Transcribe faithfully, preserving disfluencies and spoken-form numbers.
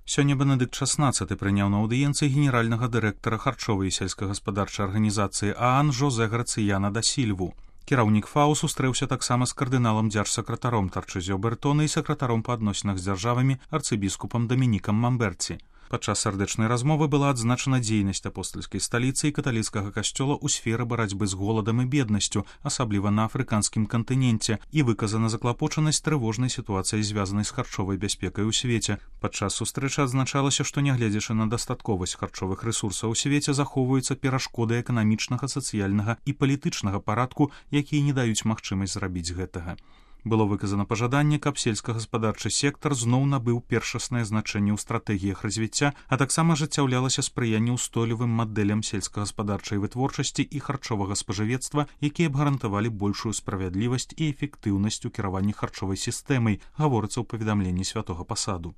Сёння Бенедыкт шаснаццаты прыняў на аўдыенцыі генеральнага дырэктара харчовай і сельскагаспадарчай арганізацыі ААН Жозе Грацыяна да Сільву. Кіраўнік ФАО сустрэўся таксама з кардыналам дзяржсакратаром Тарчызё Бертона і сакратаром па адносінах з дзяржавамі арцыбіскупам Дамінікам Мамберці. Падчас сардэчнай размовы была адзначана дзейнасць апостальскай сталіцы і каталіцкага касцёла ў сферы барацьбы з голадам і беднасцю, асабліва на афрыканскім кантыненце, і выказана заклапочанасць трывожнай сітуацыяй, звязанай з харчовай бяспекай у свеце. Падчас сустрэчы адзначалася, што нягледзячы на дастатковасць харчовых рэсурсаў у свеце захоўваюцца перашкоды эканамічнага, сацыяльнага і палітычнага парадку, якія не даюць магчымасць зрабіць гэтага. Было выказана пажаданне, каб сельскагаспадарчы сектар зноў набыў першаснае значэнне ў стратэгіях развіцця, а таксама ажыццяўлялася спрыянне ўстойлівым мадэлям сельскагаспадарчай вытворчасці і харчовага спажывецтва, якія б гарантавалі большую справядлівасць і эфектыўнасць у кіраванні харчовай сістэмай, гаворыцца ў паведамленні святога пасаду.